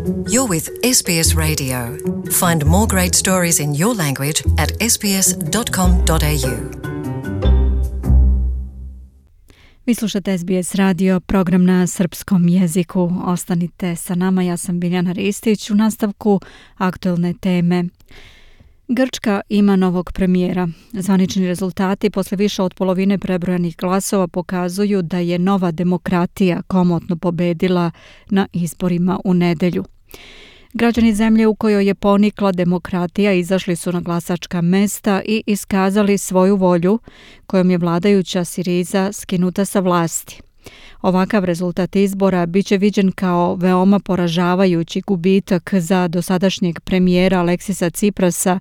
You're with SBS Radio. Find more great stories in your language at sbs.com.au. Vi slušate SBS radio, program na srpskom jeziku. Ostanite sa nama, ja sam Biljana Ristić. U nastavku aktuelne teme. Grčka ima novog premijera. Zvanični rezultati posle više od polovine prebrojanih glasova pokazuju da je Nova demokratija komotno pobedila na izborima u nedelju. Građani zemlje u kojoj je ponikla demokratija izašli su na glasačka mesta i iskazali svoju volju kojom je vladajuća Siriza skinuta sa vlasti. Ovakav rezultat izbora biće viđen kao veoma poražavajući gubitak za dosadašnjeg premijera Aleksisa Tsiprasa,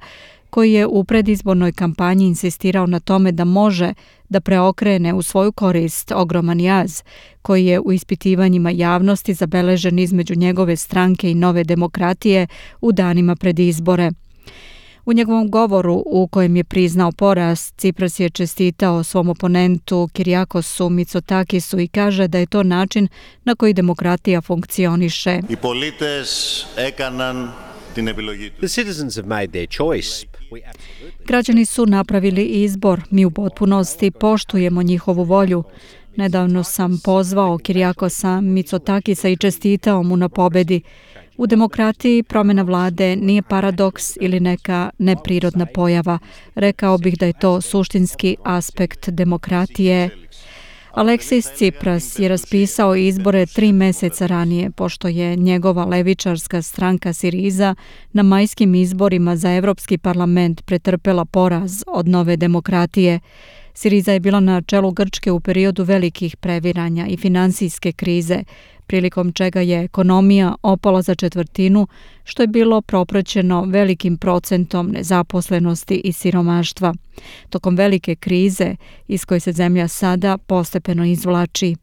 koji je u predizbornoj kampanji insistirao na tome da može da preokrene u svoju korist ogroman jaz koji je u ispitivanjima javnosti zabeležen između njegove stranke i Nove demokratije u danima pred izbore. U njegovom govoru u kojem je priznao poraz, Tsipras je čestitao svom oponentu Kyriakosu Mitsotakisu i kaže da je to način na koji demokratija funkcioniše. The citizens have made their choice. Građani su napravili izbor, mi u potpunosti poštujemo njihovu volju. Nedavno sam pozvao Kyriakosa Mitsotakisa i čestitao mu na pobedi. U demokratiji promjena vlade nije paradoks ili neka neprirodna pojava. Rekao bih da je to suštinski aspekt demokratije. Aleksis Tsipras je raspisao izbore 3 meseca ranije, pošto je njegova levičarska stranka Siriza na majskim izborima za Evropski parlament pretrpela poraz od Nove demokratije. Siriza je bila na čelu Grčke u periodu velikih previranja i finansijske krize, prilikom čega je ekonomija opala za četvrtinu, što je bilo propraćeno velikim procentom nezaposlenosti i siromaštva. Tokom velike krize iz koje se zemlja sada postepeno izvlači.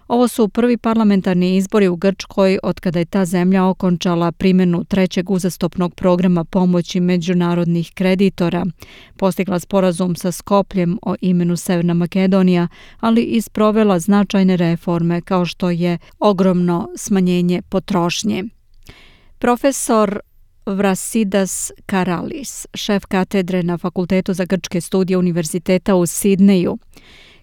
Ovo su prvi parlamentarni izbori u Grčkoj od kada je ta zemlja okončala primjenu trećeg uzastopnog programa pomoći međunarodnih kreditora, postigla sporazum sa Skopljem o imenu Severna Makedonija, ali i sprovela značajne reforme kao što je ogromno smanjenje potrošnje. Profesor Vrasidas Karalis, šef katedre na Fakultetu za grčke studije Univerziteta u Sidneju,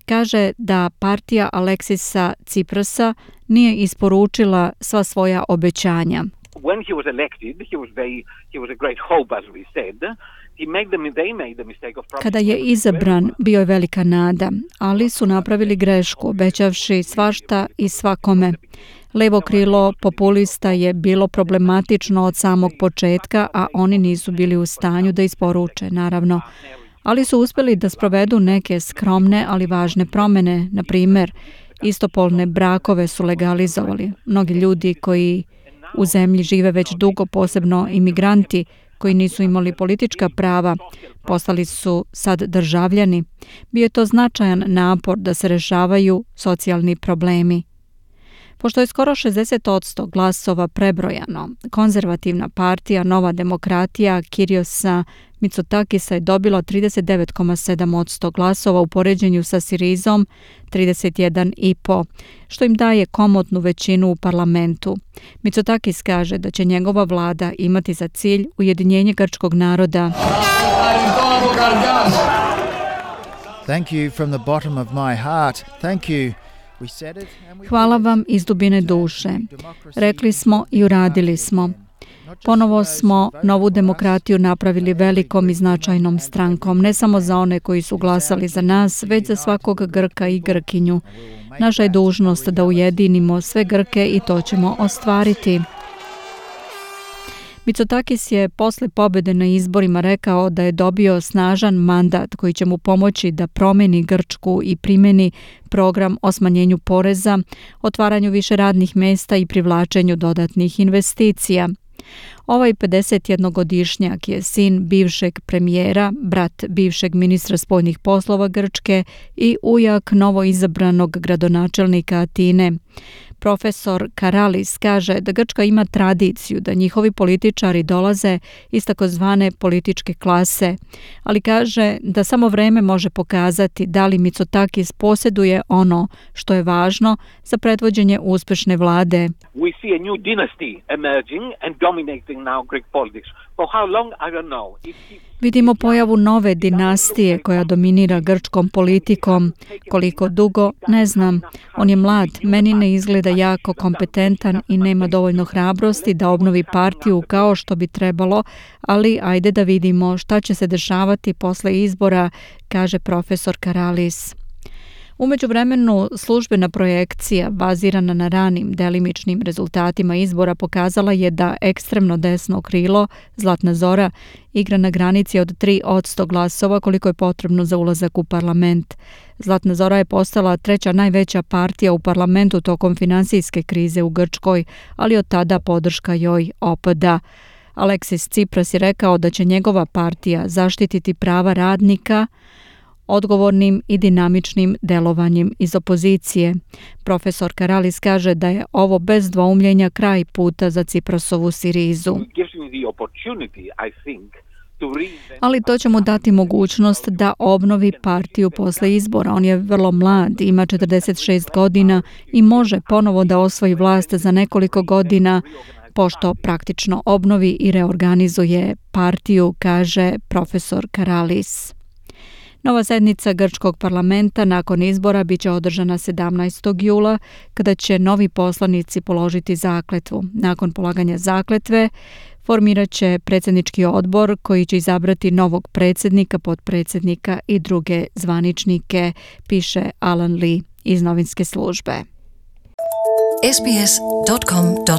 kaže da partija Aleksisa Tsiprasa nije isporučila sva svoja obećanja. When he was elected, he was a great hope, as we said. They made the mistake of Kada je izabran, bio je velika nada, ali su napravili grešku, obećavši svašta i svakome. Levo krilo populista je bilo problematično od samog početka, a oni nisu bili u stanju da isporuče, naravno. Ali su uspjeli da sprovedu neke skromne, ali važne promjene. Na primjer, istopolne brakove su legalizovali. Mnogi ljudi koji u zemlji žive već dugo, posebno imigranti koji nisu imali politička prava, postali su sad državljani. Bio je to značajan napor da se rešavaju socijalni problemi. Pošto je skoro 60% glasova prebrojano, konzervativna partija Nova demokratija Kyriosa Mitsotakisa je dobila 39,7% glasova u poređenju sa Sirizom 31,5%, što im daje komotnu većinu u parlamentu. Mitsotakis kaže da će njegova vlada imati za cilj ujedinjenje grčkog naroda. Thank you from the bottom of my heart. Thank you. Hvala vam iz dubine duše. Rekli smo i uradili smo. Ponovo smo Novu demokratiju napravili velikom i značajnom strankom, ne samo za one koji su glasali za nas, već za svakog Grka i Grkinju. Naša je dužnost da ujedinimo sve Grke i to ćemo ostvariti. Mitsotakis je posle pobjede na izborima rekao da je dobio snažan mandat koji će mu pomoći da promeni Grčku i primjeni program o smanjenju poreza, otvaranju više radnih mesta i privlačenju dodatnih investicija. Ovaj 51-godišnjak je sin bivšeg premijera, brat bivšeg ministra spoljnih poslova Grčke i ujak novoizabranog gradonačelnika Atine. Profesor Karalis kaže da Grčka ima tradiciju da njihovi političari dolaze iz takozvane političke klase, ali kaže da samo vreme može pokazati da li Mitsotakis posjeduje ono što je važno za predvođenje uspešne vlade. We see a new dynasty emerging and dominating now Greek politics. For how long, I don't know. Vidimo pojavu nove dinastije koja dominira grčkom politikom. Koliko dugo, ne znam. On je mlad, meni ne izgleda jako kompetentan i nema dovoljno hrabrosti da obnovi partiju kao što bi trebalo, ali ajde da vidimo šta će se dešavati posle izbora, kaže profesor Karalis. U međuvremenu, službena projekcija bazirana na ranim delimičnim rezultatima izbora pokazala je da ekstremno desno krilo, Zlatna Zora, igra na granici od 3% glasova koliko je potrebno za ulazak u parlament. Zlatna Zora je postala treća najveća partija u parlamentu tokom finansijske krize u Grčkoj, ali od tada podrška joj opada. Aleksis Tsipras je rekao da će njegova partija zaštititi prava radnika odgovornim i dinamičnim delovanjem iz opozicije. Profesor Karalis kaže da je ovo bez dvoumljenja kraj puta za Tsiprasovu Sirizu. Ali to će mu dati mogućnost da obnovi partiju posle izbora. On je vrlo mlad, ima 46 godina i može ponovo da osvoji vlast za nekoliko godina, pošto praktično obnovi i reorganizuje partiju, kaže profesor Karalis. Nova sednica grčkog parlamenta nakon izbora biće održana 17. jula, kada će novi poslanici položiti zakletvu. Nakon polaganja zakletve formirat će predsjednički odbor koji će izabrati novog predsjednika, potpredsjednika i druge zvaničnike, piše Alan Lee iz novinske službe. sbs.com.au